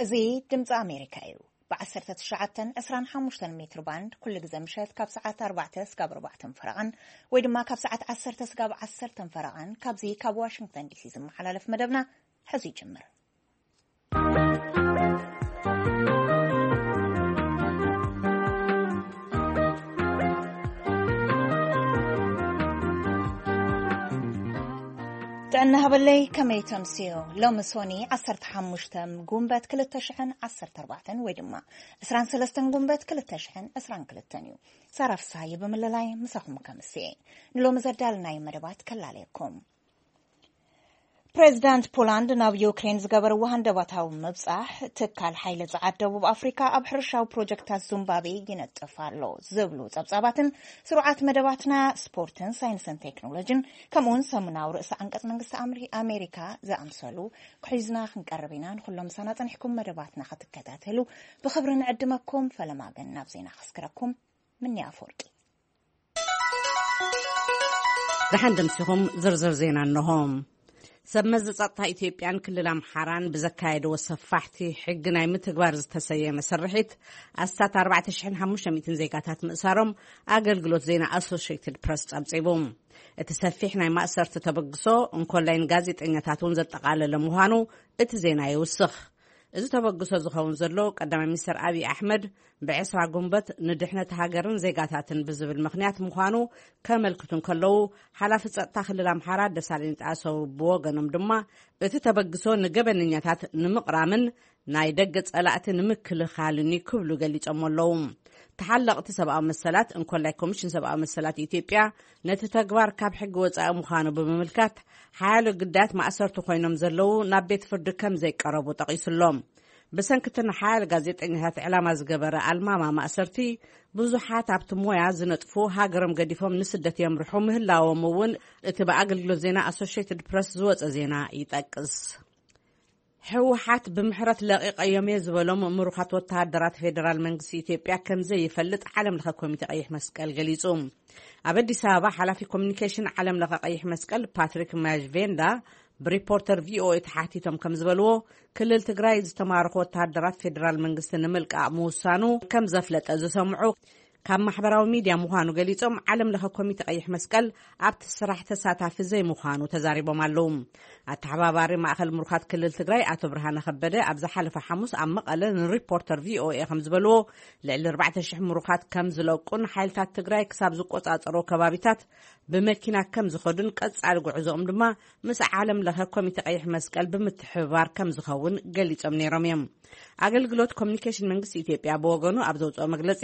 እዚ ድምፂ ኣሜሪካ እዩ። ብ19፣ 25 ሜትር ባንድ ኩሉ ግዜ ምሸት ካብ ሰዓት ኣርባዕተ ስጋብ ኣርባዕተን ፈረቓን ወይ ድማ ካብ ሰዓት ዓሰርተ ስጋብ ዓሰርተን ፈረቓን ካብዚ ካብ ዋሽንግተን ዲሲ ዝመሓላለፍ መደብና ሕዚ ይጅምር። ጥዕና ሃበለይ፣ ከመይ ተምስዮ? ሎሚ ሶኒ 15 ጉንበት 2014 ወይ ድማ 23 ጉንበት 2022 እዩ። ሳራ ፍስሃየ ብምልላይ ምሳኹም ከምስየ ንሎሚ ዘዳለናዮ መደባት ከላለየኩም። ፕሬዚዳንት ፖላንድ ናብ ዩክሬን ዝገበርዎ ሃንደባታዊ ምብጻሕ፣ ትካል ሓይሊ ጸዓት ደቡብ ኣፍሪካ ኣብ ሕርሻዊ ፕሮጀክታት ዙምባቤ ይነጥፍ ኣሎ ዝብሉ ጸብጻባትን፣ ስሩዓት መደባትና ስፖርትን ሳይንስን ቴክኖሎጂን፣ ከምኡውን ሰሙናዊ ርእሰ ዓንቀጽ መንግስቲ ኣምሪ-፣ ኣሜሪካ ዝኣምሰሉ ክሒዝና ክንቀርብ ኢና። ንኩሎም ምሳና ጸኒሕኩም መደባትና ክትከታተሉ ብኽብሪ ንዕድመኩም። ፈለማ ግን ናብ ዜና ከስክረኩም። ምኒ ኣፈወርቂ። ደሓን ደምሲኹም። ዝርዝር ዜና እንሆ። ሰብ መዚ ጸጥታ ኢትዮጵያን ክልል ኣምሓራን ብዘካየድዎ ሰፋሕቲ ሕጊ ናይ ምትግባር ዝተሰየመ ስርሒት ኣስታት ኣርባዕተ ሽሕን ሓሙሽተ ሚእትን ዜጋታት ምእሳሮም ኣገልግሎት ዜና ኣሶሽየትድ ፕረስ ጸብጺቡ። እቲ ሰፊሕ ናይ ማእሰርቲ ተበግሶ እንኮላይ ንጋዜጠኛታት እውን ዘጠቓለለ ምዃኑ እቲ ዜና ይውስኽ። እዚ ተበግሶ ዝኸውን ዘሎ ቀዳማይ ሚኒስትር ኣብይ ኣሕመድ ብ20 ጉንበት ንድሕነት ሃገርን ዜጋታትን ብዝብል ምኽንያት ምዃኑ ከመልክቱ እንከለዉ፣ ሓላፊ ጸጥታ ክልል ኣምሓራ ደሳለኝ ጣሰው ብወገኖም ድማ፣ እቲ ተበግሶ ንገበነኛታት ንምቕራምን ናይ ደገ ጸላእቲ ንምክልኻልን እዩ ክብሉ ገሊጾም ኣለዉ። ተሓለቕቲ ሰብኣዊ መሰላት እንኮላይ ኮሚሽን ሰብኣዊ መሰላት ኢትዮጵያ ነቲ ተግባር ካብ ሕጊ ወጻኢ ምዃኑ ብምምልካት፣ ሓያሎ ግዳያት ማእሰርቲ ኮይኖም ዘለዉ ናብ ቤት ፍርዲ ከም ዘይቀረቡ ጠቒሱሎም። ብሰንኪ እቲ ንሓያሎ ጋዜጠኛታት ዕላማ ዝገበረ ኣልማማ ማእሰርቲ፣ ብዙሓት ኣብቲ ሞያ ዝነጥፉ ሃገሮም ገዲፎም ንስደት የምርሑ ምህላዎም እውን እቲ ብኣገልግሎት ዜና ኣሶሽየትድ ፕረስ ዝወጸ ዜና ይጠቅስ። ህወሓት ብምሕረት ለቒቐዮም እየ ዝበሎም ምሩኻት ወተሃደራት ፌደራል መንግስቲ ኢትዮጵያ ከም ዘይፈልጥ ዓለም ለኸ ኮሚቴ ቀይሕ መስቀል ገሊጹ። ኣብ ኣዲስ ኣበባ ሓላፊ ኮሚኒኬሽን ዓለም ለኸ ቀይሕ መስቀል ፓትሪክ ማያጅቬንዳ ብሪፖርተር ቪኦኤ ተሓቲቶም ከም ዝበልዎ፣ ክልል ትግራይ ዝተማረኹ ወተሃደራት ፌደራል መንግስቲ ንምልቃቕ ምውሳኑ ከም ዘፍለጠ ዝሰምዑ ካብ ማሕበራዊ ሚድያ ምዃኑ ገሊጾም፣ ዓለም ለኸ ኮሚቴ ቀይሕ መስቀል ኣብቲ ስራሕ ተሳታፊ ዘይምዃኑ ተዛሪቦም ኣለዉ። ኣተሓባባሪ ማእኸል ምሩኻት ክልል ትግራይ ኣቶ ብርሃነ ከበደ ኣብ ዝሓለፈ ሓሙስ ኣብ መቐለ ንሪፖርተር ቪኦኤ ከም ዝበልዎ፣ ልዕሊ ኣርባዕተ ሽሕ ምሩኻት ከም ዝለቁን ሓይልታት ትግራይ ክሳብ ዝቆጻጸሮ ከባቢታት ብመኪና ከም ዝኸዱን ቀጻሊ ጉዕዞኦም ድማ ምስ ዓለም ለኸ ኮሚቴ ቀይሕ መስቀል ብምትሕብባር ከም ዝኸውን ገሊጾም ነይሮም እዮም። ኣገልግሎት ኮሚኒኬሽን መንግስቲ ኢትዮጵያ ብወገኑ ኣብ ዘውፅኦ መግለጺ፣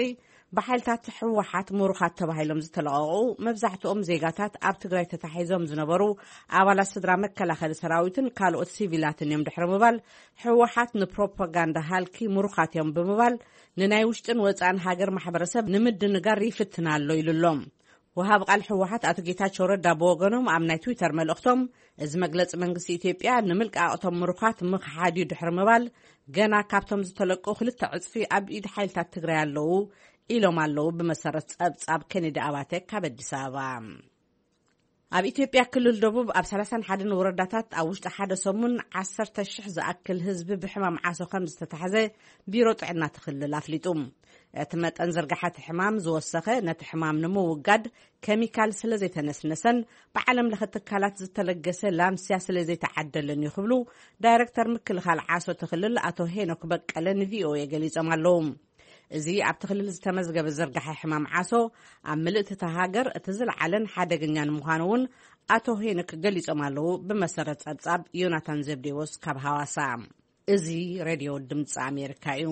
ብሓይልታት ህወሓት ምሩኻት ተባሂሎም ዝተለቐቑ መብዛሕትኦም ዜጋታት ኣብ ትግራይ ተታሒዞም ዝነበሩ ኣባላት ስድራ መከላኸሊ ሰራዊትን ካልኦት ሲቪላትን እዮም ድሕሪ ምባል፣ ህወሓት ንፕሮፓጋንዳ ሃልኪ ምሩኻት እዮም ብምባል ንናይ ውሽጥን ወፃእን ሃገር ማሕበረሰብ ንምድንጋር ይፍትን ኣሎ ኢሉ ኣሎ። ወሃቢ ቃል ህወሓት ኣቶ ጌታቸው ረዳ ብወገኖም ኣብ ናይ ትዊተር መልእኽቶም፣ እዚ መግለፂ መንግስቲ ኢትዮጵያ ንምልቃቕ እቶም ምሩኻት ምኽሓድ እዩ ድሕሪ ምባል፣ ገና ካብቶም ዝተለቁ ክልተ ዕፅፊ ኣብ ኢድ ሓይልታት ትግራይ ኣለዉ ኢሎም ኣለዉ። ብመሰረት ፀብፃብ ኬኔዲ ኣባተ ካብ ኣዲስ ኣበባ። ኣብ ኢትዮጵያ ክልል ደቡብ ኣብ ሰላሳን ሓደን ወረዳታት ኣብ ውሽጢ ሓደ ሰሙን ዓሰርተ ሽሕ ዝኣክል ህዝቢ ብሕማም ዓሶ ከም ዝተታሕዘ ቢሮ ጥዕና እቲ ክልል ኣፍሊጡ። እቲ መጠን ዝርጋሐ እቲ ሕማም ዝወሰኸ፣ ነቲ ሕማም ንምውጋድ ኬሚካል ስለ ዘይተነስነሰን ብዓለም ለኸ ትካላት ዝተለገሰ ላምስያ ስለ ዘይተዓደለን እዩ ክብሉ ዳይሬክተር ምክልኻል ዓሶ እቲ ክልል ኣቶ ሄኖክ በቀለ ንቪኦኤ ገሊጾም ኣለዉ። እዚ ኣብቲ ክልል ዝተመዝገበ ዝርጋሐ ሕማም ዓሶ ኣብ ምልእቲ እታ ሃገር እቲ ዝለዓለን ሓደገኛን ምዃኑ እውን ኣቶ ሄኖክ ገሊጾም ኣለዉ። ብመሰረት ጸብጻብ ዮናታን ዘብዴዎስ ካብ ሃዋሳ። እዚ ሬድዮ ድምፂ ኣሜሪካ እዩ።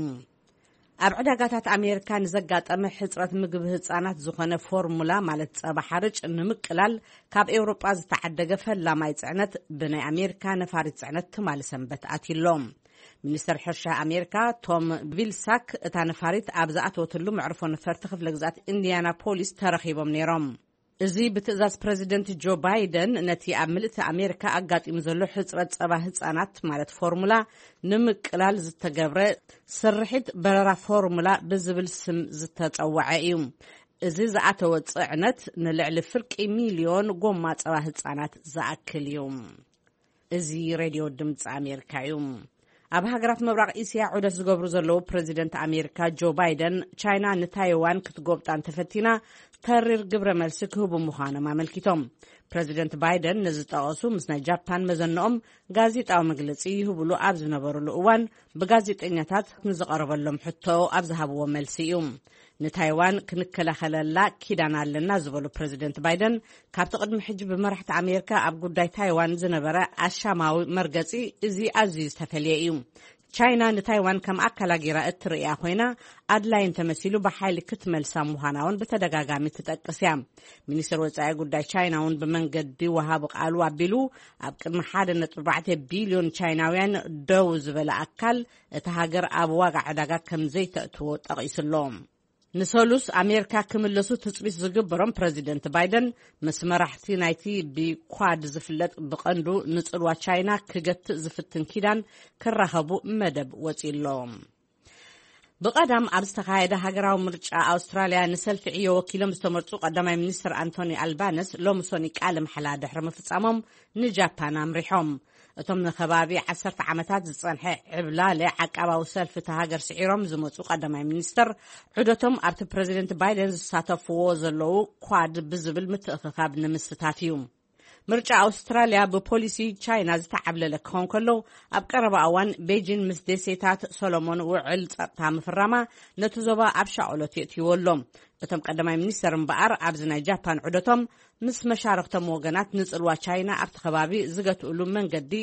ኣብ ዕዳጋታት ኣሜሪካ ንዘጋጠመ ሕፅረት ምግቢ ህፃናት ዝኾነ ፎርሙላ ማለት ፀባ ሓርጭ ንምቅላል ካብ ኤውሮጳ ዝተዓደገ ፈላማይ ፅዕነት ብናይ ኣሜሪካ ነፋሪት ፅዕነት ትማሊ ሰንበት ኣትዩ ኣሎ። ሚኒስተር ሕርሻ ኣሜሪካ ቶም ቪልሳክ እታ ነፋሪት ኣብ ዝኣተወትሉ መዕርፎ ነፈርቲ ክፍለ ግዝኣት ኢንዲያና ፖሊስ ተረኺቦም ነይሮም። እዚ ብትእዛዝ ፕረዚደንት ጆ ባይደን ነቲ ኣብ ምልእቲ ኣሜሪካ ኣጋጢሙ ዘሎ ሕጽረት ጸባ ህጻናት ማለት ፎርሙላ ንምቅላል ዝተገብረ ስርሒት በረራ ፎርሙላ ብዝብል ስም ዝተጸውዐ እዩ። እዚ ዝኣተወ ጽዕነት ንልዕሊ ፍርቂ ሚልዮን ጎማ ጸባ ህጻናት ዝኣክል እዩ። እዚ ሬድዮ ድምፂ ኣሜሪካ እዩ። ኣብ ሃገራት ምብራቕ እስያ ዑደት ዝገብሩ ዘለዉ ፕረዚደንት ኣሜሪካ ጆ ባይደን፣ ቻይና ንታይዋን ክትጎብጣ እንተፈቲና ተሪር ግብረ መልሲ ክህቡ ምዃኖም ኣመልኪቶም። ፕረዚደንት ባይደን ነዚ ዝጠቐሱ፣ ምስ ናይ ጃፓን መዘንኦም ጋዜጣዊ መግለጺ ይህብሉ ኣብ ዝነበሩሉ እዋን፣ ብጋዜጠኛታት ንዝቐረበሎም ሕቶ ኣብ ዝሃብዎ መልሲ እዩ። ንታይዋን ክንከላኸለላ ኪዳን ኣለና ዝበሉ ፕረዚደንት ባይደን፣ ካብቲ ቅድሚ ሕጂ ብመራሕቲ ኣሜሪካ ኣብ ጉዳይ ታይዋን ዝነበረ ኣሻማዊ መርገጺ እዚ ኣዝዩ ዝተፈልየ እዩ። ቻይና ንታይዋን ከም ኣካላ ጌራ እትርእያ ኮይና፣ ኣድላይ እንተመሲሉ ብሓይሊ ክትመልሳ ምዃና እውን ብተደጋጋሚ ትጠቅስ እያ። ሚኒስትር ወጻኢ ጉዳይ ቻይና እውን ብመንገዲ ወሃቢ ቃሉ ኣቢሉ፣ ኣብ ቅድሚ ሓደ ነጥቢ ኣርባዕተ ቢልዮን ቻይናውያን ደው ዝበለ ኣካል፣ እታ ሃገር ኣብ ዋጋ ዕዳጋ ከም ዘይተእትዎ ጠቒሱ ኣሎ። ንሰሉስ ኣሜሪካ ክምለሱ ትጽቢት ዝግበሮም ፕረዚደንት ባይደን፣ ምስ መራሕቲ ናይቲ ብኳድ ዝፍለጥ ብቐንዱ ንጽልዋ ቻይና ክገትእ ዝፍትን ኪዳን ክራኸቡ መደብ ወጺኡ ኣሎ። ብቐዳም ኣብ ዝተኻየደ ሃገራዊ ምርጫ ኣውስትራልያ ንሰልፊ ዕዮ ወኪሎም ዝተመርጹ ቀዳማይ ሚኒስትር ኣንቶኒ ኣልባነስ ሎሚ ሶኒ ቃለ መሓላ ድሕሪ ምፍጻሞም ንጃፓን ኣምሪሖም። እቶም ንከባቢ ዓሰርተ ዓመታት ዝጸንሐ ዕብላለ ዓቃባዊ ሰልፊ እታ ሃገር ስዒሮም ዝመጹ ቀዳማይ ሚኒስትር፣ ዑደቶም ኣብቲ ፕረዚደንት ባይደን ዝሳተፍዎ ዘለዉ ኳድ ብዝብል ምትእኽኻብ ንምስታፍ እዩ። ምርጫ ኣውስትራልያ ብፖሊሲ ቻይና ዝተዓብለለ ክኸውን ከሎ፣ ኣብ ቀረባ እዋን ቤጂን ምስ ደሴታት ሶሎሞን ውዕል ጸጥታ ምፍራማ ነቲ ዞባ ኣብ ሻቕሎት የእትይዎ ኣሎ። እቶም ቀዳማይ ሚኒስተር እምበኣር፣ ኣብዚ ናይ ጃፓን ዑደቶም ምስ መሻርኽቶም ወገናት ንጽልዋ ቻይና ኣብቲ ከባቢ ዝገትእሉ መንገዲ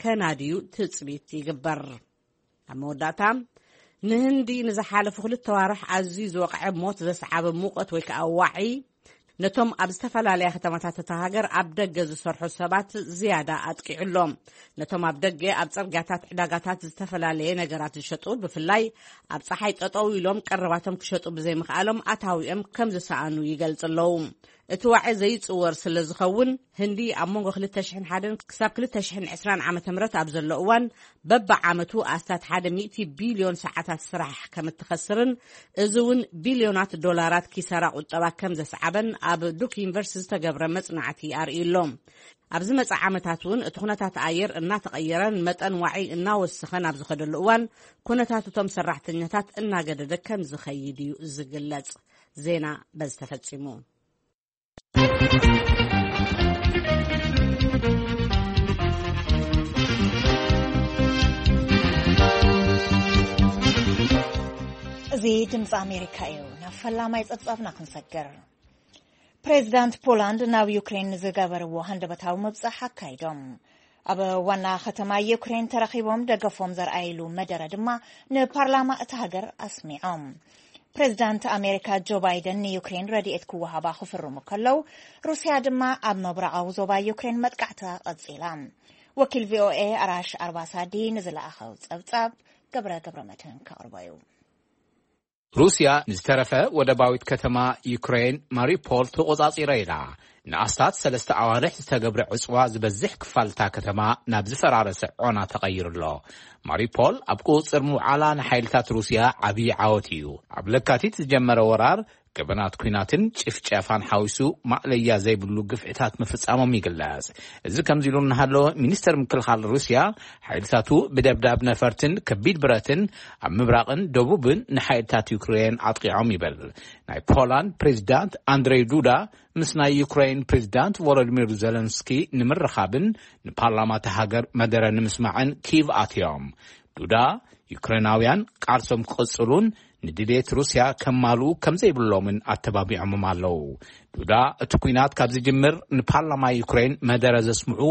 ከናድዩ ትጽቢት ይግበር። ኣብ መወዳእታ፣ ንህንዲ ንዝሓለፉ ክልተ ዋርሕ ኣዝዩ ዝወቕዐ ሞት ዘስዓበ ሙቐት ወይ ከዓ ዋዒ፣ ነቶም ኣብ ዝተፈላለያ ከተማታት እታ ሃገር ኣብ ደገ ዝሰርሑ ሰባት ዝያዳ ኣጥቂዑ ኣሎ። ነቶም ኣብ ደገ ኣብ ጽርግያታት፣ ዕዳጋታት ዝተፈላለየ ነገራት ዝሸጡ፣ ብፍላይ ኣብ ጸሓይ ጠጠው ኢሎም ቀረባቶም ክሸጡ ብዘይምኽኣሎም ኣታዊኦም ከም ዝሰኣኑ ይገልጽ ኣለዉ። እቲ ዋዒ ዘይጽወር ስለ ዝኸውን፣ ህንዲ ኣብ መንጎ ክልተ ሽሕን ሓደን ክሳብ ክልተ ሽሕን ዕስራን ዓመተ ምህረት ኣብ ዘሎ እዋን፣ በብዓመቱ ኣስታት ሓደ ሚእቲ ቢልዮን ሰዓታት ስራሕ ከም እትኸስርን፣ እዚ እውን ቢልዮናት ዶላራት ኪሳራ ቁጠባ ከም ዘስዓበን ኣብ ዱክ ዩኒቨርሲቲ ዝተገብረ መጽናዕቲ ኣርእዩ ኣሎ። ኣብ ዝመጽእ ዓመታት እውን እቲ ኩነታት ኣየር እናተቐየረን መጠን ዋዒ እናወሰኸን ኣብ ዝኸደሉ እዋን፣ ኩነታት እቶም ሰራሕተኛታት እናገደደ ከም ዝኸይድ እዩ ዝግለጽ። ዜና በዚ ተፈጺሙ። እዚ ድምፂ ኣሜሪካ እዩ። ናብ ፈላማይ ፀብፃብና ክንሰግር። ፕሬዚዳንት ፖላንድ ናብ ዩክሬን ዝገበርዎ ሃንደበታዊ ምብፃሕ ኣካይዶም። ኣብ ዋና ከተማ ዩክሬን ተረኺቦም ደገፎም ዘርኣይሉ መደረ ድማ ንፓርላማ እታ ሃገር ኣስሚዖም። ፕሬዚዳንት ኣሜሪካ ጆ ባይደን ንዩክሬን ረድኤት ክወሃባ ክፍርሙ ከለዉ፣ ሩስያ ድማ ኣብ ምብራቓዊ ዞባ ዩክሬን መጥቃዕታ ቀጺላ። ወኪል ቪኦኤ ኣራሽ ኣርባሳዲ ንዝለኣኸው ጸብጻብ ገብረ ገብረ መድህን ከቕርቦ እዩ። ሩስያ ንዝተረፈ ወደባዊት ከተማ ዩክሬን ማሪፖል ተቖጻጺረ ኢላ። ንኣስታት ሰለስተ ኣዋርሕ ዝተገብረ ዕጽዋ ዝበዝሕ ክፋል እታ ከተማ ናብ ዝፈራረሰ ዖና ተቐይሩ ኣሎ። ማሪፖል ኣብ ቁጽጽር ምውዓላ ንሓይልታት ሩስያ ዓብዪ ዓወት እዩ። ኣብ ለካቲት ዝጀመረ ወራር ገበናት ኲናትን ጭፍጨፋን ሓዊሱ ማእለያ ዘይብሉ ግፍዕታት ምፍጻሞም ይግለጽ። እዚ ከምዚ ኢሉ እናሃለወ፣ ሚኒስተር ምክልኻል ሩስያ ሓይልታቱ ብደብዳብ ነፈርትን ከቢድ ብረትን ኣብ ምብራቕን ደቡብን ንሓይልታት ዩክሬን ኣጥቂዖም ይብል። ናይ ፖላንድ ፕሬዚዳንት ኣንድሬ ዱዳ ምስ ናይ ዩክሬን ፕሬዚዳንት ቮሎዲሚር ዘለንስኪ ንምርኻብን ንፓርላማ እታ ሃገር መደረ ንምስማዕን ኪቭ ኣትዮም። ዱዳ፣ ዩክሬናውያን ቃልሶም ክቕጽሉን ንድሌት ሩስያ ከማልኡ ከም ዘይብሎምን ኣተባቢዖምም ኣለዉ። ዱዳ፣ እቲ ኲናት ካብ ዝጅምር ንፓርላማ ዩክሬን መደረ ዘስምዑ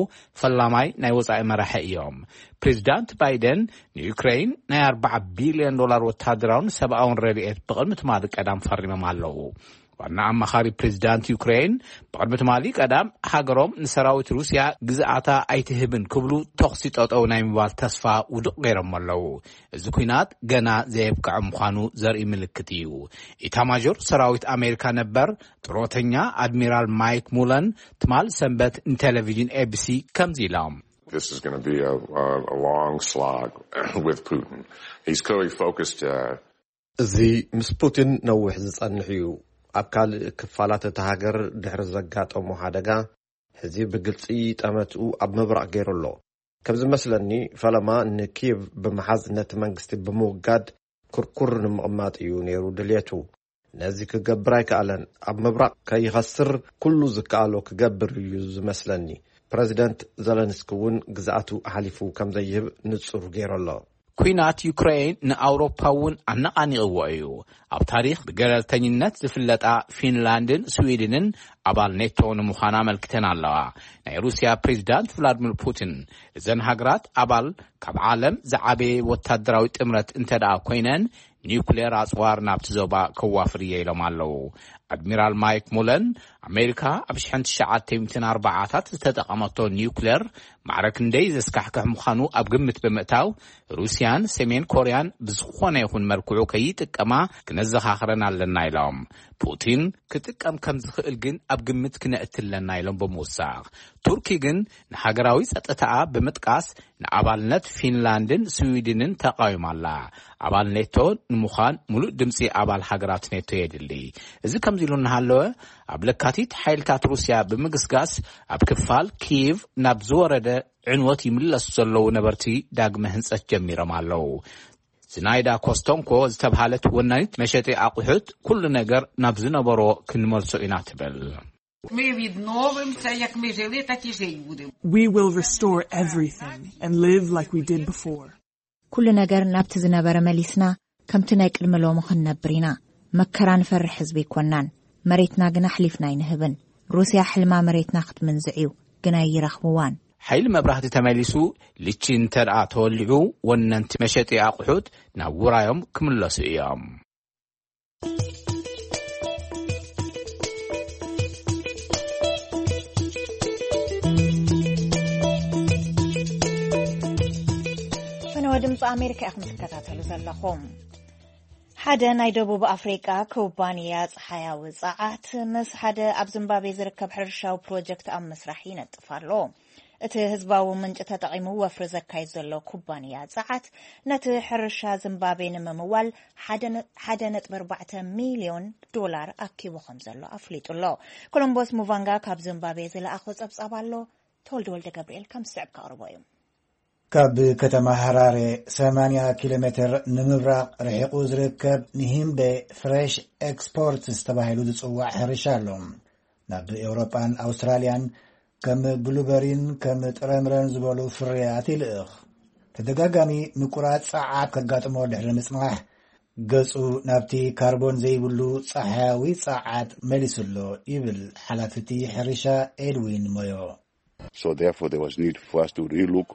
ፈላማይ ናይ ወጻኢ መራሒ እዮም። ፕሬዚዳንት ባይደን ንዩክሬን ናይ ኣርባዓ ቢልዮን ዶላር ወታደራውን ሰብኣውን ረድኤት ብቕድሚ ትማሊ ቀዳም ፈሪሞም ኣለዉ። ዋና ኣማኻሪ ፕሬዚዳንት ዩክሬን ብቕድሚ ትማሊ ቀዳም፣ ሃገሮም ንሰራዊት ሩስያ ግዝኣታ ኣይትህብን ክብሉ፣ ተኹሲ ጠጠው ናይ ምባል ተስፋ ውዱቕ ገይሮም ኣለዉ። እዚ ኲናት ገና ዘየብቅዐ ምዃኑ ዘርኢ ምልክት እዩ። ኢታማዦር ሰራዊት ኣሜሪካ ነበር ጥሮተኛ ኣድሚራል ማይክ ሙለን ትማል ሰንበት ንቴሌቪዥን ኤቢሲ ከምዚ ኢሎም። This is going to be a, a, a long slog with Putin. He's clearly focused. Uh... እዚ ምስ ፑቲን ነዊሕ ዝጸንሕ እዩ። ኣብ ካልእ ክፋላት እታ ሃገር ድሕሪ ዘጋጠሞ ሓደጋ፣ ሕዚ ብግልጺ ጠመትኡ ኣብ ምብራቕ ገይሩ ኣሎ። ከም ዝመስለኒ፣ ፈለማ ንኪየቭ ብምሓዝ ነቲ መንግስቲ ብምውጋድ ክርኩር ንምቕማጥ እዩ ነይሩ ድልየቱ። ነዚ ክገብር ኣይከኣለን። ኣብ ምብራቕ ከይኸስር ኩሉ ዝከኣሎ ክገብር እዩ ዝመስለኒ። ፕረዚደንት ዘለንስኪ እውን ግዝኣቱ ሓሊፉ ከም ዘይህብ ንጹር ገይሩ ኣሎ። ኲናት ዩክሬን ንኣውሮፓ እውን ኣነቓኒቕዎ እዩ። ኣብ ታሪኽ ብገለልተኝነት ዝፍለጣ ፊንላንድን ስዊድንን ኣባል ኔቶ ንምዃን ኣመልኪተን ኣለዋ። ናይ ሩስያ ፕሬዚዳንት ቭላድሚር ፑቲን፣ እዘን ሃገራት ኣባል ካብ ዓለም ዝዓበየ ወታደራዊ ጥምረት እንተ ደኣ ኮይነን፣ ኒውክሌር ኣጽዋር ናብቲ ዞባ ከዋፍር እየ ኢሎም ኣለዉ። ኣድሚራል ማይክ ሙለን፣ ኣሜሪካ ኣብ ሽሕን ትሽዓተ ሚእትን ኣርባዓታት ዝተጠቐመቶ ኒውክሌር ማዕረ ክንደይ ዘስካሕክሕ ምዃኑ ኣብ ግምት ብምእታው፣ ሩስያን ሰሜን ኮርያን ብዝኾነ ይኹን መልክዑ ከይጥቀማ ክነዘኻኽረን ኣለና ኢሎም። ፑቲን፣ ክጥቀም ከም ዝኽእል ግን ኣብ ግምት ክነእቲ ኣለና ኢሎም ብምውሳኽ፣ ቱርኪ ግን ንሃገራዊ ጸጥታኣ ብምጥቃስ ንኣባልነት ፊንላንድን ስዊድንን ተቓዊማ ኣላ። ኣባል ኔቶ ንምዃን ሙሉእ ድምጺ ኣባል ሃገራት ኔቶ የድሊ። እዚ ከምዚ ኢሉ እናሃለወ፣ ኣብ ለካቲት ሓይልታት ሩስያ ብምግስጋስ ኣብ ክፋል ኪየቭ ናብ ዝወረደ ዕንወት ይምለሱ ዘለዉ ነበርቲ ዳግመ ህንጸት ጀሚሮም ኣለዉ። ዝናይዳ ኮስቶንኮ ዝተብሃለት ወናኒት መሸጢ ኣቑሑት፣ ኩሉ ነገር ናብ ዝነበሮ ክንመልሶ ኢና ትብል። Ми відновимо це, як ми жили, так і жити будемо. We will restore everything and live like we did before. ኩሉ ነገር ናብቲ ዝነበረ መሊስና፣ ከምቲ ናይ ቅድሚ ሎሚ ክንነብር ኢና። መከራ ንፈርሕ ህዝቢ ኣይኮናን፣ መሬትና ግን ኣሕሊፍና ኣይንህብን። ሩስያ ሕልማ መሬትና ክትምንዝዕ እዩ፣ ግን ኣይረኽብዋን። ሓይሊ መብራህቲ ተመሊሱ፣ ልቺ እንተ ደኣ ተወሊዑ፣ ወነንቲ መሸጢ ኣቑሑት ናብ ውራዮም ክምለሱ እዮም። ፈነወ ድምፂ ኣሜሪካ ኢኹም ትከታተሉ ዘለኹም። ሓደ ናይ ደቡብ ኣፍሪቃ ኩባንያ ጸሓያዊ ጸዓት ምስ ሓደ ኣብ ዚምባብዌ ዝርከብ ሕርሻዊ ፕሮጀክት ኣብ ምስራሕ ይነጥፍ ኣሎ። እቲ ህዝባዊ ምንጪ ተጠቒሙ ወፍሪ ዘካይድ ዘሎ ኩባንያ ጸዓት፣ ነቲ ሕርሻ ዚምባብዌ ንምምዋል ሓደ ነ-፣ ሓደ ነጥቢ ኣርባዕተ ሚልዮን ዶላር ኣኪቡ ከም ዘሎ ኣፍሊጡ ኣሎ። ኮሎምቦስ ሙቫንጋ ካብ ዚምባብዌ ዝለኣኾ ጸብጻብ ኣሎ። ተወልደ ወልደ ገብርኤል ከም ዝስዕብ ከቕርቦ እዩ። ካብ ከተማ ሃራሬ ሰማንያ ኪሎ ሜትር ንምብራቕ ርሒቑ ዝርከብ ንሂምቤ ፍሬሽ ኤክስፖርትስ ተባሂሉ ዝጽዋዕ ሕርሻ ኣሎ። ናብ ኤውሮጳን ኣውስትራልያን ከም ብሉበሪን ከም ጥረምረን ዝበሉ ፍርያት ይልእኽ። ተደጋጋሚ ምቁራጽ ጸዓት ከጋጥሞ ድሕሪ ምጽናሕ፣ ገጹ ናብቲ ካርቦን ዘይብሉ ጸሓያዊ ጸዓት መሊሱ ኣሎ፣ ይብል ሓላፊ እቲ ሕርሻ ኤድዊን ሞዮ። So therefore, there was need for us to relook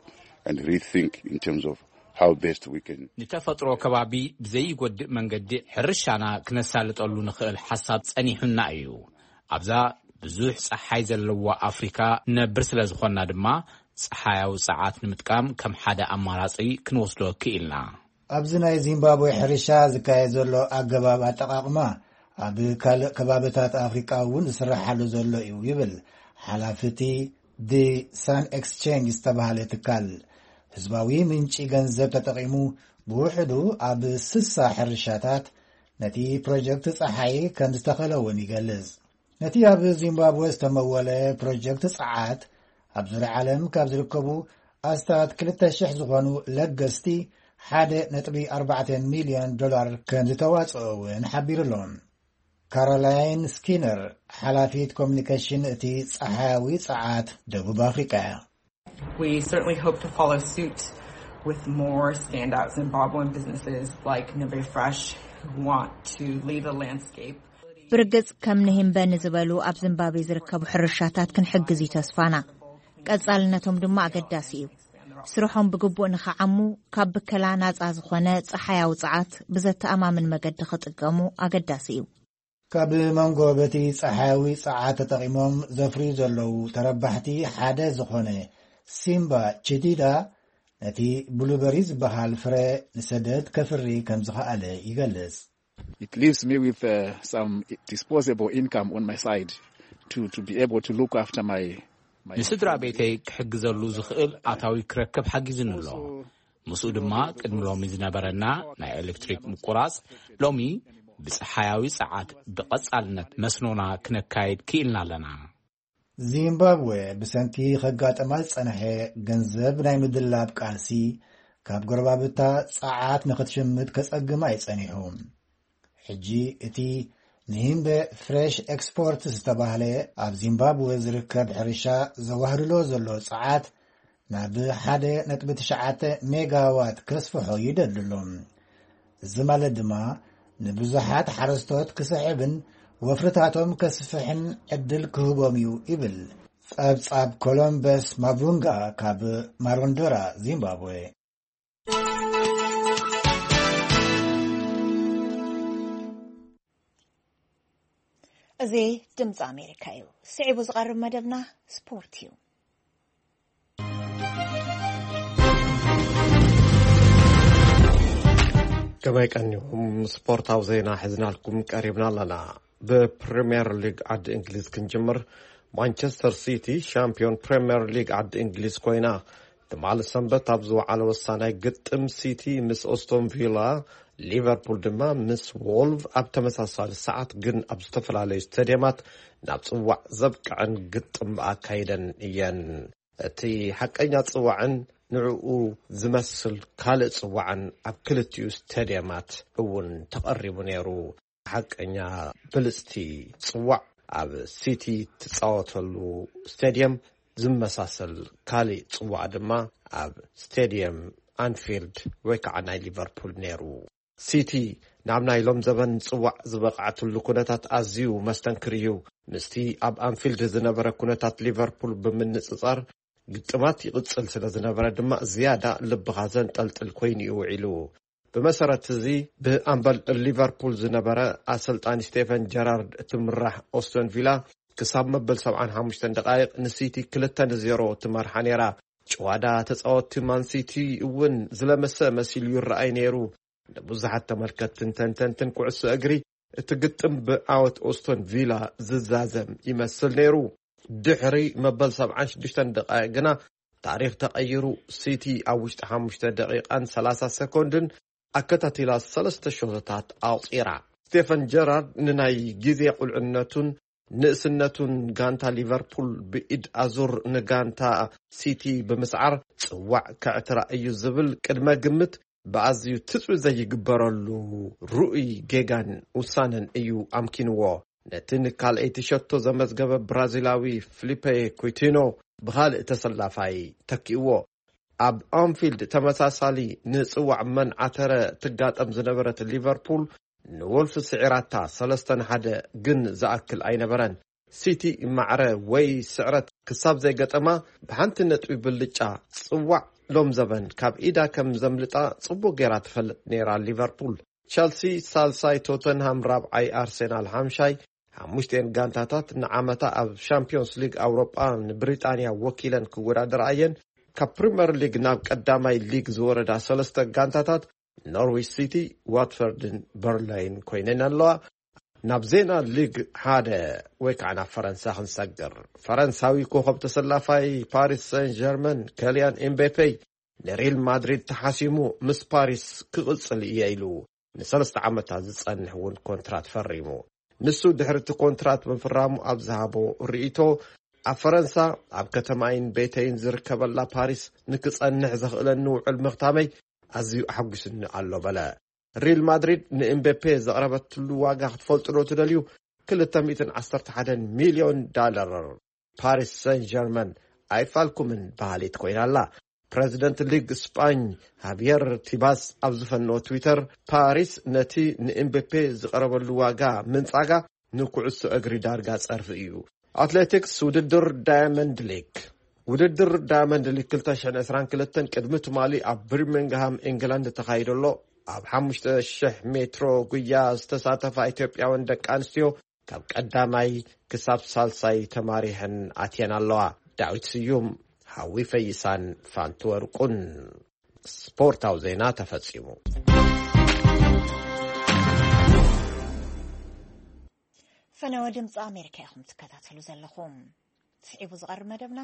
and rethink in terms of how best we can. ንተፈጥሮ ከባቢ ብዘይጎድእ መንገዲ ሕርሻና ክነሳልጠሉ ንኽእል ሓሳብ ጸኒሑና እዩ። ኣብዛ ብዙሕ ጸሓይ ዘለዋ ኣፍሪካ ንነብር ስለ ዝኾንና ድማ፣ ጸሓያዊ ጸዓት ንምጥቃም ከም ሓደ ኣማራጺ ክንወስዶ ክኢልና። ኣብዚ ናይ ዚምባብዌ ሕርሻ ዝካየድ ዘሎ ኣገባብ ኣጠቓቕማ፣ ኣብ ካልእ ከባብታት ኣፍሪቃ እውን ዝስራሓሉ ዘሎ እዩ፣ ይብል ሓላፊ እቲ ዲ ሳን ኤክስቼንጅ ዝተባህለ ትካል። ህዝባዊ ምንጪ ገንዘብ ተጠቒሙ፣ ብውሕዱ ኣብ ስሳ ሕርሻታት ነቲ ፕሮጀክት ጸሓይ ከም ዝተኸለ እውን ይገልጽ። ነቲ ኣብ ዚምባብወ ዝተመወለ ፕሮጀክት ጸዓት፣ ኣብ ዙርያ ዓለም ካብ ዝርከቡ ኣስታት ክልተ ሽሕ ዝኾኑ ለገስቲ ሓደ ነጥቢ ኣርባዕተ ሚልዮን ዶላር ከም ዝተዋጽኦ እውን ሓቢሩ ኣሎ። ካሮላይን ስኪነር፣ ሓላፊት ኮሚኒኬሽን እቲ ጸሓያዊ ጸዓት ደቡብ ኣፍሪቃ እያ። We certainly hope to follow suit with more standout Zimbabwean businesses like Nimbe Fresh, who want to lead the landscape. ብርግጽ፣ ከም ንሂምበ ንዝበሉ ኣብ ዚምባብዌ ዝርከቡ ሕርሻታት ክንሕግዝ እዩ ተስፋና። ቀጻልነቶም ድማ ኣገዳሲ እዩ። ስርሖም ብግቡእ ንኸዓሙ፣ ካብ ብከላ ናጻ ዝኾነ ጸሓያዊ ጸዓት ብዘተኣማምን መገዲ ክጥቀሙ ኣገዳሲ እዩ። ካብ መንጎ በቲ ጸሓያዊ ጸዓት ተጠቒሞም ዘፍርዩ ዘለዉ ተረባሕቲ ሓደ ዝኾነ ሲምባ ቺዲዳ፣ ነቲ ብሉበሪ ዝበሃል ፍረ ንሰደድ ከፍሪ ከም ዝኸኣለ ይገልጽ። It leaves me with, uh, some disposable income on my side to, to be able to look after my, my ንስድራ ቤተይ ክሕግዘሉ ዝኽእል ኣታዊ ክረክብ ሓጊዙኒ ኣሎ። ምስኡ ድማ ቅድሚ ሎሚ ዝነበረና ናይ ኤሌክትሪክ ምቁራጽ፣ ሎሚ ብጸሓያዊ ጸዓት ብቐጻልነት መስኖና ክነካይድ ክኢልና ኣለና። ዚምባብወ ብሰንኪ ከጋጥማ ዝጸንሐ ገንዘብ ናይ ምድላብ ቃልሲ፣ ካብ ጎረባብታ ጸዓት ንኽትሽምት ከጸግማ እዩ ጸኒሑ። ሕጂ እቲ ንሂምበ ፍሬሽ ኤክስፖርት ዝተባህለ ኣብ ዚምባብወ ዝርከብ ሕርሻ ዘዋህልሎ ዘሎ ጸዓት ናብ ሓደ ነጥቢ ትሽዓተ ሜጋዋት ከስፍሖ ይደሊ ኣሎ። እዚ ማለት ድማ ንብዙሓት ሓረስቶት ክስሕብን ወፍርታቶም ከስፍሕን ዕድል ክህቦም እዩ ይብል ጸብጻብ ኮሎምበስ ማቡንጋ ካብ ማሮንዶራ ዚምባብዌ። እዚ ድምፂ ኣሜሪካ እዩ። ስዒቡ ዝቐርብ መደብና ስፖርት እዩ። ከመይ ቀኒኹም? ስፖርታዊ ዜና ሒዝናልኩም ቀሪብና ኣለና። ብፕሪምየር ሊግ ዓዲ እንግሊዝ ክንጅምር። ማንቸስተር ሲቲ ሻምፒዮን ፕሪምየር ሊግ ዓዲ እንግሊዝ ኮይና። ትማሊ ሰንበት ኣብ ዝወዓለ ወሳናይ ግጥም፣ ሲቲ ምስ ኦስቶን ቪላ፣ ሊቨርፑል ድማ ምስ ዎልቭ ኣብ ተመሳሳሊ ሰዓት ግን ኣብ ዝተፈላለዩ ስቴድየማት ናብ ጽዋዕ ዘብቅዐን ግጥም ኣካይደን እየን። እቲ ሓቀኛ ጽዋዕን ንዕኡ ዝመስል ካልእ ጽዋዕን ኣብ ክልቲኡ ስቴድየማት እውን ተቐሪቡ ነይሩ። ሓቀኛ ብልጽቲ ጽዋዕ ኣብ ሲቲ ትጻወተሉ ስቴድየም ዝመሳሰል ካልእ ጽዋዕ ድማ ኣብ ስቴድየም ኣንፊልድ ወይ ከዓ ናይ ሊቨርፑል ነይሩ። ሲቲ ናብ ናይ ሎም ዘበን ጽዋዕ ዝበቕዓትሉ ኩነታት ኣዝዩ መስተንክር እዩ። ምስቲ ኣብ ኣንፊልድ ዝነበረ ኩነታት ሊቨርፑል ብምንጽጻር፣ ግጥማት ይቕጽል ስለ ዝነበረ ድማ ዝያዳ ልብኻ ዘንጠልጥል ኮይኑ እዩ ውዒሉ። ብመሰረት እዚ፣ ብኣምበል ሊቨርፑል ዝነበረ ኣሰልጣኒ ስቴፈን ጀራርድ እትምራሕ ኦስቶን ቪላ ክሳብ መበል ሰብዓን ሓሙሽተን ደቓይቕ ንሲቲ ክልተ ንዜሮ ትመርሓ ነይራ። ጭዋዳ ተጻወትቲ ማን ሲቲ እውን ዝለመሰ መሲሉ ይረኣይ ነይሩ። ንብዙሓት ተመልከትትን ተንተንትን ኩዕሶ እግሪ፣ እቲ ግጥም ብዓወት ኦስቶን ቪላ ዝዛዘም ይመስል ነይሩ። ድሕሪ መበል ሰብዓን ሽዱሽተን ደቓይቕ ግና ታሪኽ ተቐይሩ፣ ሲቲ ኣብ ውሽጢ ሓሙሽተ ደቂቓን ሰላሳ ሰኮንድን ኣከታቲላ ሰለስተ ሸቶታት ኣቑጺራ። ስቴፈን ጀራርድ ንናይ ግዜ ቁልዕነቱን ንእስነቱን ጋንታ ሊቨርፑል ብኢድ ኣዙር ንጋንታ ሲቲ ብምስዓር ጽዋዕ ከዕትራ እዩ ዝብል ቅድመ ግምት ብኣዝዩ ትጽቢት ዘይግበረሉ ርኡይ ጌጋን ውሳነን እዩ ኣምኪንዎ። ነቲ ንካልኣይቲ ሸቶ ዘመዝገበ ብራዚላዊ ፍሊፔ ኩቲኖ ብኻልእ ተሰላፋይ ተኪእዎ። ኣብ ኣንፊልድ ተመሳሳሊ ንጽዋዕ መን ዓተረ ትጋጠም ዝነበረት ሊቨርፑል ንወልፍ ስዒራታ ሰለስተ ንሓደ ግን ዝኣክል ኣይነበረን። ሲቲ ማዕረ ወይ ስዕረት ክሳብ ዘይገጠማ ብሓንቲ ነጥቢ ብልጫ ጽዋዕ ሎም ዘበን ካብ ኢዳ ከም ዘምልጣ ጽቡቕ ጌራ ትፈልጥ ነይራ ሊቨርፑል። ቸልሲ ሳልሳይ፣ ቶተንሃም ራብዓይ፣ ኣርሴናል ሓምሻይ፣ ሓሙሽተን ጋንታታት ንዓመታ ኣብ ሻምፒዮንስ ሊግ ኣውሮጳ ንብሪጣንያ ወኪለን ክወዳደራ እየን። ካብ ፕሪምየር ሊግ ናብ ቀዳማይ ሊግ ዝወረዳ ሰለስተ ጋንታታት ኖርዊች ሲቲ፣ ዋትፈርድን በርንሌይን ኮይነን ኣለዋ። ናብ ዜና ሊግ ሓደ ወይ ከዓ ናብ ፈረንሳ ክንሰግር። ፈረንሳዊ ኮኸብ ተሰላፋይ ፓሪስ ሰን ጀርመን ከልያን ኤምቤፔ ንሪል ማድሪድ ተሓሲሙ ምስ ፓሪስ ክቕጽል እየ ኢሉ ንሰለስተ ዓመታት ዝጸንሕ እውን ኮንትራት ፈሪሙ። ንሱ ድሕሪ እቲ ኮንትራት ምፍራሙ ኣብ ዝሃቦ ርእይቶ፣ ኣብ ፈረንሳ ኣብ ከተማይን ቤተይን ዝርከበላ ፓሪስ ንክጸንሕ ዘኽእለኒ ውዕል ምኽታመይ ኣዝዩ ኣሐጒስኒ ኣሎ በለ። ሪል ማድሪድ ንኤምቤፔ ዘቕረበትሉ ዋጋ ክትፈልጡ ዶ ትደልዩ? ክልተ ሚእትን ዓሰርተ ሓደን ሚልዮን ዳለር። ፓሪስ ሰን ጀርመን ኣይፋልኩምን በሃሊት ኮይና ኣላ። ፕረዚደንት ሊግ ስጳኝ ሃቪየር ቲባስ ኣብ ዝፈነዎ ትዊተር፣ ፓሪስ ነቲ ንኤምቤፔ ዝቐረበሉ ዋጋ ምንጻጋ ንኩዕሶ እግሪ ዳርጋ ጸርፊ እዩ። ኣትሌቲክስ፣ ውድድር ዳያመንድ ሊግ። ውድድር ዳያመንድ ሊግ ክልተ ሽሕን ዕስራን ክልተን ቅድሚ ትማሊ ኣብ ብርሚንግሃም ኢንግላንድ ተኻይዶ ኣሎ። ኣብ ሓሙሽተ ሽሕ ሜትሮ ጉያ ዝተሳተፋ ኢትዮጵያውያን ደቂ ኣንስትዮ ካብ ቀዳማይ ክሳብ ሳልሳይ ተማሪሐን ኣትየን ኣለዋ። ዳዊት ስዩም፣ ሃዊ ፈይሳን ፋንቱ ወርቁን። ስፖርታዊ ዜና ተፈጺሙ። ፈነወ ድምፂ ኣሜሪካ ኢኹም ትከታተሉ ዘለኹም። ስዒቡ ዝቐርብ መደብና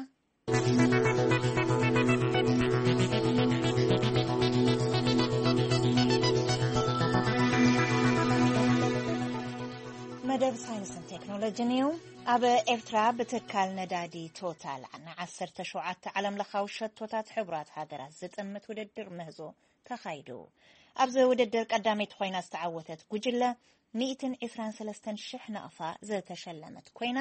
መደብ ሳይንስን ቴክኖሎጂን እዩ። ኣብ ኤርትራ ብትካል ነዳዲ ቶታል ንዓሰርተ ሸውዓተ ዓለም ለኻዊ ሸቶታት ሕቡራት ሃገራት ዝጥምት ውድድር ምህዞ ተኻይዱ። ኣብዚ ውድድር ቀዳመይቲ ኮይና ዝተዓወተት ጉጅለ ሚእትን ዕስራን ሰለስተን ሽሕ ናቕፋ ዝተሸለመት ኮይና፣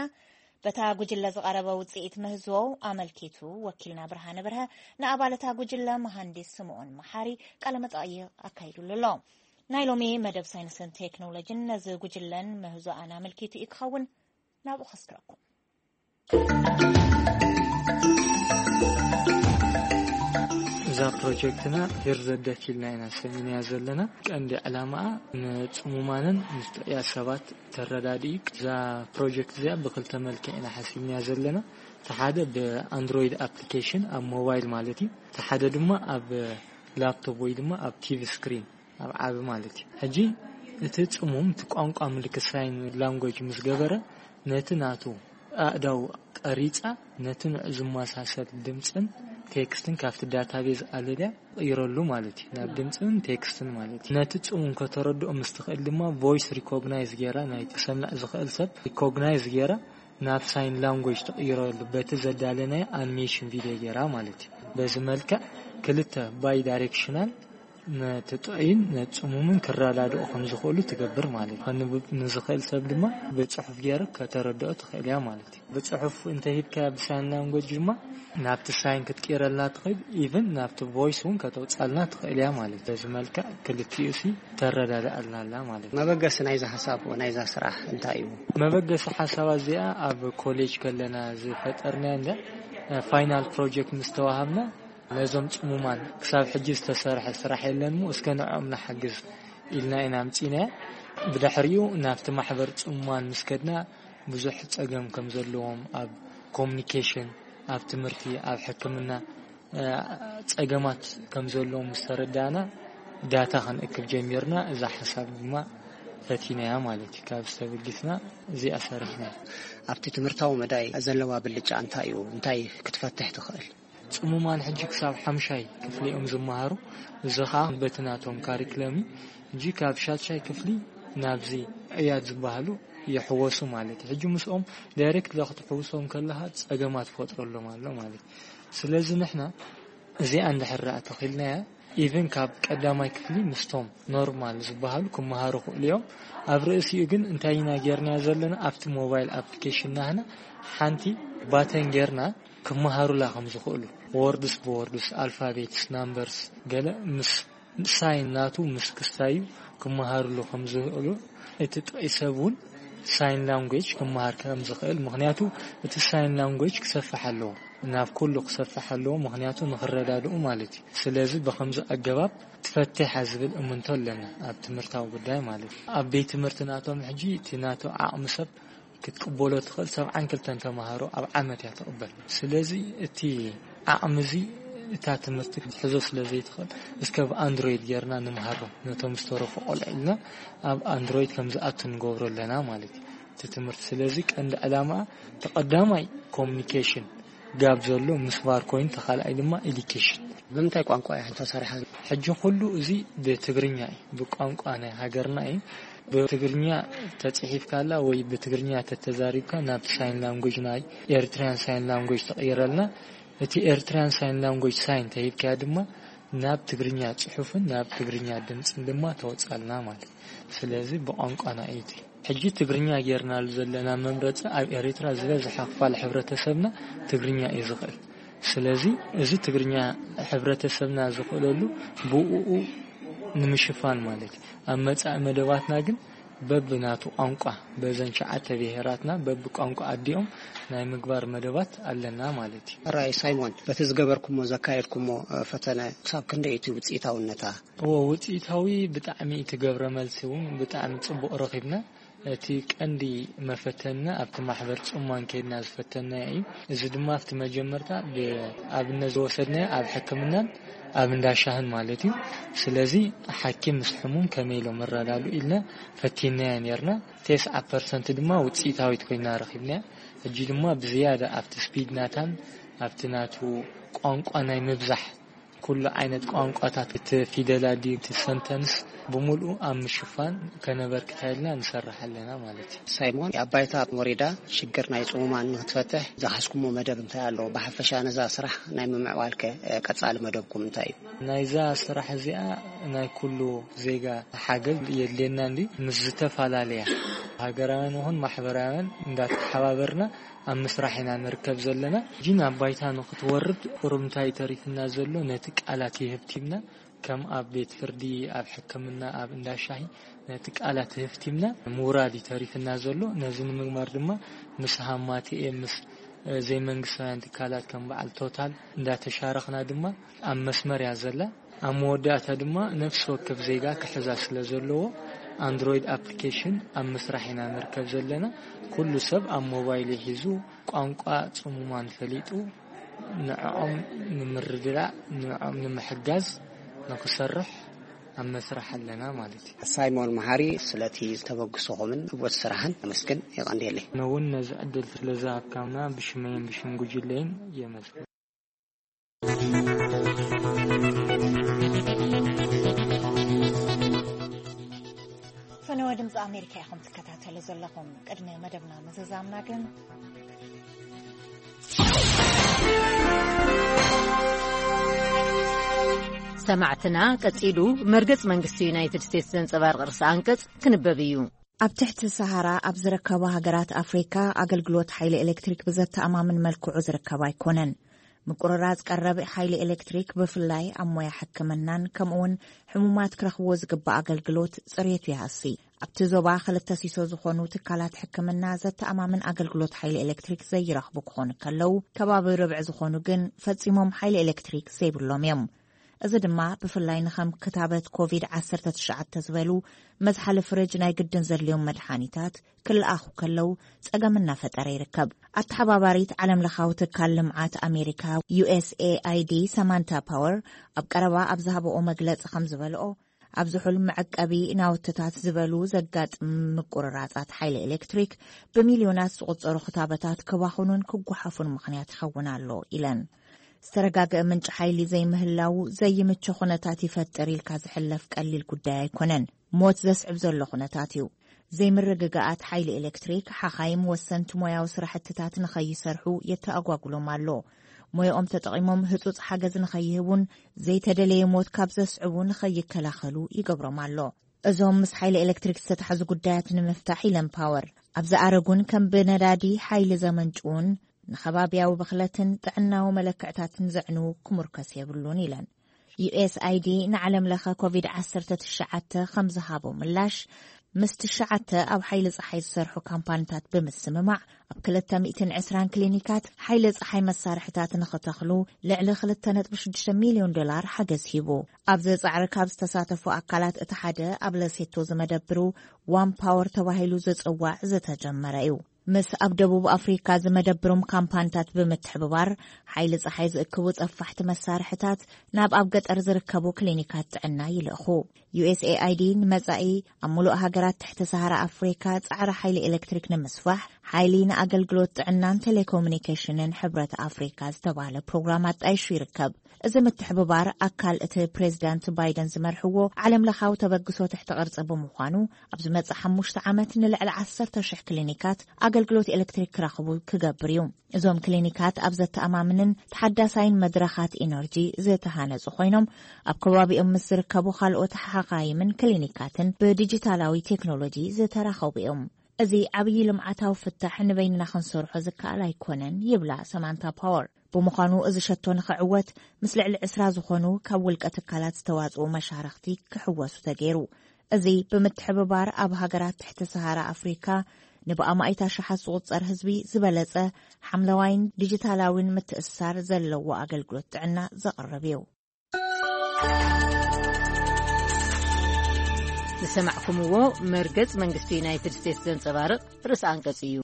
በታ ጉጅለ ዝቐረበ ውጽኢት ምህዞ ኣመልኪቱ ወኪልና ብርሃነ ብርሀ ንኣባል እታ ጉጅለ መሃንዲስ ስምኦን መሓሪ ቃለ መጠይቕ ኣካይዱሉ ኣሎ። ናይ ሎሚ መደብ ሳይንስን ቴክኖሎጂን ነዚ ጉጅለን ምህዞኣን ኣመልኪቱ እዩ ክኸውን። ናብኡ ከስክረኩም። እዛ ፕሮጀክትና ሄር ዘደት ኢልና ኢና ሰሚናያ ዘለና። ቀንዲ ዕላማኣ ንጽሙማንን ምስ ጥዑያት ሰባት ተረዳድኢ። እዛ ፕሮጀክት እዚኣ ብክልተ መልክዕ ኢና ሓሲብናያ ዘለና። እቲ ሓደ ብኣንድሮይድ ኣፕሊኬሽን ኣብ ሞባይል ማለት እዩ። እቲ ሓደ ድማ ኣብ ላፕቶፕ ወይ ድማ ኣብ ቲቪ ስክሪን ኣብ ዓቢ ማለት እዩ። ሕጂ እቲ ጽሙም እቲ ቋንቋ ምልክት ሳይን ላንጉጅ ምስ ገበረ ነቲ ናቱ ኣእዳው ቀሪጻ ነቲ ንዑ ዝመሳሰል ድምጽን ቴክስትን ካብቲ ዳታቤዝ ኣለልያ ይረሉ ማለት እዩ። ናብ ድምጽን ቴክስትን ማለት እዩ። ነቲ ጽሙም ከተረድኦ ምስ ትኽእል ድማ ቮይስ ሪኮግናይዝ ገይራ ናይ ተሰምዕ ዝኽእል ሰብ ሪኮግናይዝ ገይራ ናብ ሳይን ላንጉጅ ትቕይረሉ በቲ ዘዳለናዮ ኣኒሜሽን ቪድዮ ገይራ ማለት እዩ። በዚ መልክዕ ክልተ ባይ ዳይሬክሽናል ነቲ ጥዑይን ነቲ ጽሙምን ክረዳድኦ ከም ዝኽእሉ ትገብር ማለት እዩ። ከንብብ ንዝኽእል ሰብ ድማ ብጽሑፍ ገይሩ ከተረድኦ ትኽእል እያ ማለት እዩ። ብጽሑፍ እንተ ሂብካያ ብሳይን ላንጉጅ ድማ ናብቲ ሳይን ክትቅይረልና ትኽእል፣ ኢቭን ናብቲ ቮይስ እውን ከተውጻልና ትኽእል እያ ማለት እዩ። በዚ መልክዕ ክልቲኡ ሲ ተረዳድኣልና ኣላ ማለት እዩ። መበገሲ ናይዛ ሓሳብ ናይዛ ስራሕ እንታይ እዩ? መበገሲ ሓሳባ እዚኣ ኣብ ኮሌጅ ከለና ዝፈጠርናያ እንደ ፋይናል ፕሮጀክት ምስ ተዋሃብና ነዞም ጽሙማን ክሳብ ሕጂ ዝተሰርሐ ስራሕ የለን እሞ እስከ ንዕኦም ንሓግዝ ኢልና ኢና ኣምጺናያ። ብድሕሪኡ ናብቲ ማሕበር ጽሙማን ምስ ከድና ብዙሕ ጸገም ከም ዘለዎም ኣብ ኮሙኒኬሽን፣ ኣብ ትምህርቲ፣ ኣብ ሕክምና እ፣ ጸገማት ከም ዘለዎም ምስ ተረዳእና ዳታ ክንእክብ ጀሚርና። እዛ ሓሳብ ድማ ፈቲናያ ማለት እዩ። ካብ ዝተብግስና እዚኣ ሰሪሕና። ኣብቲ ትምህርታዊ መዳይ ዘለዋ ብልጫ እንታይ እዩ? እንታይ ክትፈትሕ ትኽእል? ጽሙማን ሕጂ ክሳብ ሓምሻይ ክፍሊ እዮም ዝመሃሩ። እዚ ኸኣ በቲ ናቶም ካሪክለም እዩ። ሕጂ ካብ ሻድሻይ ክፍሊ ናብዚ ዕያድ ዝበሃሉ ይሕወሱ ማለት እዩ። ሕጂ ምስኦም ዳይሬክት ክትሕውሶም ከለኻ ጸገማት ፈጥረሎም ኣሎ ማለት እዩ። ስለዚ ንሕና እዚኣ እንድሕር ደኣ ተኺልናያ ኢቭን ካብ ቀዳማይ ክፍሊ ምስቶም ኖርማል ዝበሃሉ ክመሃሩ ክእሉ እዮም። ኣብ ርእሲኡ ግን እንታይ ኢና ጌርናዮ ዘለና ኣብቲ ሞባይል ኣፕሊኬሽን ናህና ሓንቲ ባተን ጌርና ክመሃሩላ ከም ዝኽእሉ ወርድስ ብወርድስ ኣልፋቤትስ ናምበርስ ገለ ምስ ሳይን ናቱ ምስ ክስታዩ ክመሃርሉ ከም ዝኽእሉ እቲ ጥዑይ ሰብ እውን ሳይን ላንጉጅ ክመሃር ከም ዝኽእል ምኽንያቱ እቲ ሳይን ላንጉጅ ክሰፍሕ ኣለዎ ናብ ኩሉ ክሰፍሕ ኣለዎ ምኽንያቱ ንኽረዳድኡ ማለት እዩ ስለዚ ብኸምዚ ኣገባብ ትፈትሕ ዝብል እምንቶ ኣለና ኣብ ትምህርታዊ ጉዳይ ማለት እዩ ኣብ ቤት ትምህርቲ ናቶም ሕጂ እቲ ናቱ ዓቕሚ ሰብ ክትቅበሎ ትኽእል ሰብዓን ክልተን ተምሃሮ ኣብ ዓመት እያ ትቕበል ስለዚ እቲ ዓቕሚ እዚ እታ ትምህርቲ ክትሕዞ ስለ ዘይትኽእል እስከ ብ ኣንድሮይድ ጌርና ንምሃሮም ነቶም ዝተረፉ ቆልዑ ኢልና ኣብ ኣንድሮይድ ከም ዝኣቱ ንገብሮ ኣለና ማለት እዩ እቲ ትምህርቲ ስለዚ ቀንዲ ዕላማኣ ተቐዳማይ ኮሙኒኬሽን ጋብ ዘሎ ምስ ቫር ኮይኑ ተኻልኣይ ድማ ኤዲኬሽን ብምንታይ ቋንቋ እያ ተሰሪሓ ሕጂ ኩሉ እዚ ብትግርኛ እዩ ብቋንቋ ናይ ሃገርና እዩ ብትግርኛ ተፅሒፍካላ ወይ ብትግርኛ ተተዛሪብካ ናብ ሳይን ላንጉጅ ናይ ኤርትራያን ሳይን ላንጉጅ ተቕይረልና እቲ ኤርትራያን ሳይን ላንጉጅ ሳይን ተሂብካያ ድማ ናብ ትግርኛ ፅሑፍን ናብ ትግርኛ ድምፅን ድማ ተወፃልና ማለት ስለዚ ብቋንቋና እዩ እቲ ሕጂ ትግርኛ ጌርናሉ ዘለና መምረፂ ኣብ ኤርትራ ዝበዝሐ ክፋል ሕብረተሰብና ትግርኛ እዩ ዝኽእል ስለዚ እዚ ትግርኛ ሕብረተሰብና ዝኽእለሉ ብኡኡ ንምሽፋን ማለት እዩ ኣብ መፃኢ መደባትና ግን በብናቱ ቋንቋ በዘን ሸዓተ ብሄራትና በብቋንቋ ኣዲኦም ናይ ምግባር መደባት ኣለና ማለት እዩ። ሕራይ ሳይሞን፣ በቲ ዝገበርኩሞ ዘካየድኩሞ ፈተነ ክሳብ ክንደይ እቲ ውፅኢታውነታ? እዎ ውፅኢታዊ ብጣዕሚ እቲ ገብረ መልሲ እውን ብጣዕሚ ፅቡቕ ረኺብና። እቲ ቀንዲ መፈተንና ኣብቲ ማሕበር ፅሙማን ከይድና ዝፈተንናዮ እዩ። እዚ ድማ ኣብቲ መጀመርታ ብኣብነት ዝወሰድናዮ ኣብ ሕክምናን ኣብ እንዳሻህን ማለት እዩ። ስለዚ ሓኪም ምስ ሕሙም ከመይ ኢሎም ይረዳድኡ ኢልና ፈቲንናዮ ነርና። ተስዓ ፐርሰንት ድማ ውፅኢታዊት ኮይና ረኺብናያ። ሕጂ ድማ ብዝያዳ ኣብቲ ስፒድ ናታን ኣብቲ ናቱ ቋንቋ ናይ ምብዛሕ ኩሉ ዓይነት ቋንቋታት እቲ ፊደላት ድዩ እቲ ሰንተንስ ብምሉኡ ኣብ ምሽፋን ከነበርክታ ኢልና ንሰርሕ ኣለና ማለት እዩ። ሳይሞን፣ ኣብ ባይታ ወሪዳ ሽግር ናይ ጽሙማን ንክትፈትሕ ዝሓዝኩሞ መደብ እንታይ ኣሎ? ብሓፈሻ ነዛ ስራሕ ናይ ምምዕባልከ ቀጻሊ መደብኩም እንታይ እዩ? ናይዛ ስራሕ እዚኣ ናይ ኩሉ ዜጋ ሓገዝ የድልየና እንዲ ምስ ዝተፈላለያ ሃገራውያን ይኹን ማሕበራውያን እንዳተሓባበርና ኣብ ምስራሕ ኢና ንርከብ ዘለና። ጅን ኣብ ባይታ ንክትወርድ ቁሩብ እንታይ ተሪፍና ዘሎ ነቲ ቃላት ይህብቲብና ከም ኣብ ቤት ፍርዲ፣ ኣብ ሕክምና፣ ኣብ እንዳ ሻሂ ነቲ ቃላት ህፍቲምና ምውራድ እዩ ተሪፍና ዘሎ። ነዚ ንምግባር ድማ ምስ ሃማትኤ፣ ምስ ዘይመንግስታውያን ትካላት ከም በዓል ቶታል እንዳተሻረኽና ድማ ኣብ መስመር እያ ዘላ። ኣብ መወዳእታ ድማ ነፍሲ ወከፍ ዜጋ ክሕዛ ስለ ዘለዎ ኣንድሮይድ ኣፕሊኬሽን ኣብ ምስራሕ ኢና ንርከብ ዘለና። ኩሉ ሰብ ኣብ ሞባይል ሒዙ ቋንቋ ጽሙማን ፈሊጡ ንዕኦም ንምርድዳእ፣ ንዕኦም ንምሕጋዝ ንክሰርሕ ኣብ መስርሕ ኣለና ማለት እዩ። ሳይሞን መሓሪ፣ ስለቲ ዝተበግሶኹምን ዕወት ስራሕን ኣመስግን። የቐንየለይ። ኣነ እውን ነዚ ዕድል ስለ ዝሃብካና ብሽመይን ብሽም ጉጅለይን የመስግን። ፈነወ ድምፂ ኣሜሪካ ኢኹም ትከታተሉ ዘለኹም። ቅድሚ መደብና ምዝዛምና ግን ሰማዕትና፣ ቀጺሉ መርገጽ መንግስቲ ዩናይትድ ስቴትስ ዘንጸባርቕ ርእሰ ኣንቀጽ ክንበብ እዩ። ኣብ ትሕቲ ሰሃራ ኣብ ዝርከባ ሃገራት ኣፍሪካ ኣገልግሎት ሓይሊ ኤሌክትሪክ ብዘተኣማምን መልክዑ ዝርከብ ኣይኮነን። ምቁርራጽ ቀረብ ሓይሊ ኤሌክትሪክ ብፍላይ ኣብ ሞያ ሕክምናን ከምኡውን ሕሙማት ክረኽብዎ ዝግባእ ኣገልግሎት ጽሬቱ ይሃሲ። ኣብቲ ዞባ ክልተ ሲሶ ዝኾኑ ትካላት ሕክምና ዘተኣማምን ኣገልግሎት ሓይሊ ኤሌክትሪክ ዘይረኽቡ ክኾኑ ከለዉ፣ ከባቢ ርብዒ ዝኾኑ ግን ፈጺሞም ሓይሊ ኤሌክትሪክ ዘይብሎም እዮም። እዚ ድማ ብፍላይ ንኸም ክታበት ኮቪድ ዓሰርተ ትሽዓተ ዝበሉ መዝሓሊ ፍርጅ ናይ ግድን ዘድልዮም መድሓኒታት ክልኣኹ ከለዉ ጸገም እናፈጠረ ይርከብ። ኣተሓባባሪት ዓለም ለኻዊ ትካል ልምዓት ኣሜሪካ ዩኤስኤኣይዲ ሰማንታ ፓወር ኣብ ቀረባ ኣብ ዝሃበኦ መግለጺ ከም ዝበልኦ፣ ኣብ ዝሑል መዐቀቢ ናውትታት ዝበሉ ዘጋጥም ምቁርራጻት ሓይሊ ኤሌክትሪክ ብሚልዮናት ዝቑጸሩ ክታበታት ክባኹኑን ክጓሓፉን ምኽንያት ይኸውን ኣሎ ኢለን። ዝተረጋገአ ምንጪ ሓይሊ ዘይምህላው ዘይምቹ ኩነታት ይፈጥር ኢልካ ዝሕለፍ ቀሊል ጉዳይ ኣይኮነን። ሞት ዘስዕብ ዘሎ ኩነታት እዩ። ዘይምርግጋኣት ሓይሊ ኤሌክትሪክ ሓኻይም ወሰንቲ ሞያዊ ስራሕትታት ንኸይሰርሑ የተኣጓጉሎም ኣሎ። ሞያኦም ተጠቒሞም ህጹጽ ሓገዝ ንኸይህቡን ዘይተደለየ ሞት ካብ ዘስዕቡ ንኸይከላኸሉ ይገብሮም ኣሎ። እዞም ምስ ሓይሊ ኤሌክትሪክ ዝተታሕዙ ጉዳያት ንምፍታሕ ኢለን ፓወር ኣብ ዝኣረጉን ከም ብነዳዲ ሓይሊ ዘመንጭውን ንኸባብያዊ ብኽለትን ጥዕናዊ መለክዕታትን ዘዕንዉ ክምርኮስ የብሉን ኢለን። ዩኤስኣይዲ ንዓለም ለኸ ኮቪድ ዓሰርተ ትሽዓተ ከም ዝሃቦ ምላሽ፣ ምስ ትሽዓተ ኣብ ሓይሊ ጸሓይ ዝሰርሑ ካምፓኒታት ብምስምማዕ ኣብ ክልተ ሚእትን ዕስራን ክሊኒካት ሓይሊ ጸሓይ መሳርሕታት ንኽተኽሉ ልዕሊ ክልተ ነጥቢ ሽዱሽተ ሚልዮን ዶላር ሓገዝ ሂቡ። ኣብዚ ጻዕሪ ካብ ዝተሳተፉ ኣካላት እቲ ሓደ ኣብ ለሴቶ ዝመደብሩ ዋን ፓወር ተባሂሉ ዝጽዋዕ ዝተጀመረ እዩ። ምስ ኣብ ደቡብ ኣፍሪካ ዝመደብሮም ካምፓኒታት ብምትሕብባር ሓይሊ ጸሓይ ዝእክቡ ጸፋሕቲ መሳርሕታት ናብ ኣብ ገጠር ዝርከቡ ክሊኒካት ጥዕና ይልእኹ። ዩኤስኤኣይዲ ንመጻኢ ኣብ ሙሉእ ሃገራት ትሕቲ ሰሃራ ኣፍሪካ ጻዕሪ ሓይሊ ኤሌክትሪክ ንምስፋሕ ሓይሊ ንኣገልግሎት ጥዕናን ቴሌኮሙኒኬሽንን ሕብረት ኣፍሪካ ዝተባህለ ፕሮግራም ኣጣይሹ ይርከብ። እዚ ምትሕብባር ኣካል እቲ ፕሬዚዳንት ባይደን ዝመርሕዎ ዓለም ለኻዊ ተበግሶ ትሕቲ ቅርጺ ብምዃኑ፣ ኣብ ዝመጽእ ሓሙሽተ ዓመት ንልዕሊ ዓሰርተ ሽሕ ክሊኒካት ኣገልግሎት ኤሌክትሪክ ክረኽቡ ክገብር እዩ። እዞም ክሊኒካት ኣብ ዘተኣማምንን ተሓዳሳይን መድረኻት ኢነርጂ ዝተሃነጹ ኮይኖም፣ ኣብ ከባቢኦም ምስ ዝርከቡ ካልኦት ሓኻይምን ክሊኒካትን ብዲጂታላዊ ቴክኖሎጂ ዝተራኸቡ እዮም። እዚ ዓብዪ ልምዓታዊ ፍታሕ ንበይንና ክንሰርሖ ዝከኣል ኣይኮነን ይብላ ሰማንታ ፓወር። ብምዃኑ እዚ ሸቶ ንኽዕወት ምስ ልዕሊ ዕስራ ዝኾኑ ካብ ውልቀ ትካላት ዝተዋጽኡ መሻርኽቲ ክሕወሱ ተገይሩ። እዚ ብምትሕብባር ኣብ ሃገራት ትሕቲ ሰሃራ ኣፍሪካ ንብኣማኢት ኣሽሓት ዝቑጸር ህዝቢ ዝበለጸ ሓምለዋይን ዲጂታላዊን ምትእስሳር ዘለዎ ኣገልግሎት ጥዕና ዘቕርብ እዩ። ዝሰማዕኩምዎ መርገጽ መንግስቲ ዩናይትድ ስቴትስ ዘንጸባርቕ ርእሰ ኣንቀጽ እዩ።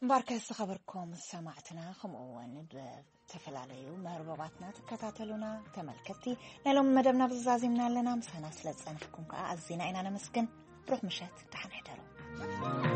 እምበኣርከ ዝተኸበርኩም ሰማዕትና፣ ከምኡ እውን ብተፈላለዩ መርበባትና ትከታተሉና ተመልከትቲ፣ ናይ ሎሚ መደብና ብዝዛዚምና ኣለና። ምሳና ስለ ዝጸናሕኩም ከኣ ኣዚና ኢና ነመስግን። ብሩኽ ምሸት፣ ደሓን ሕደሩ።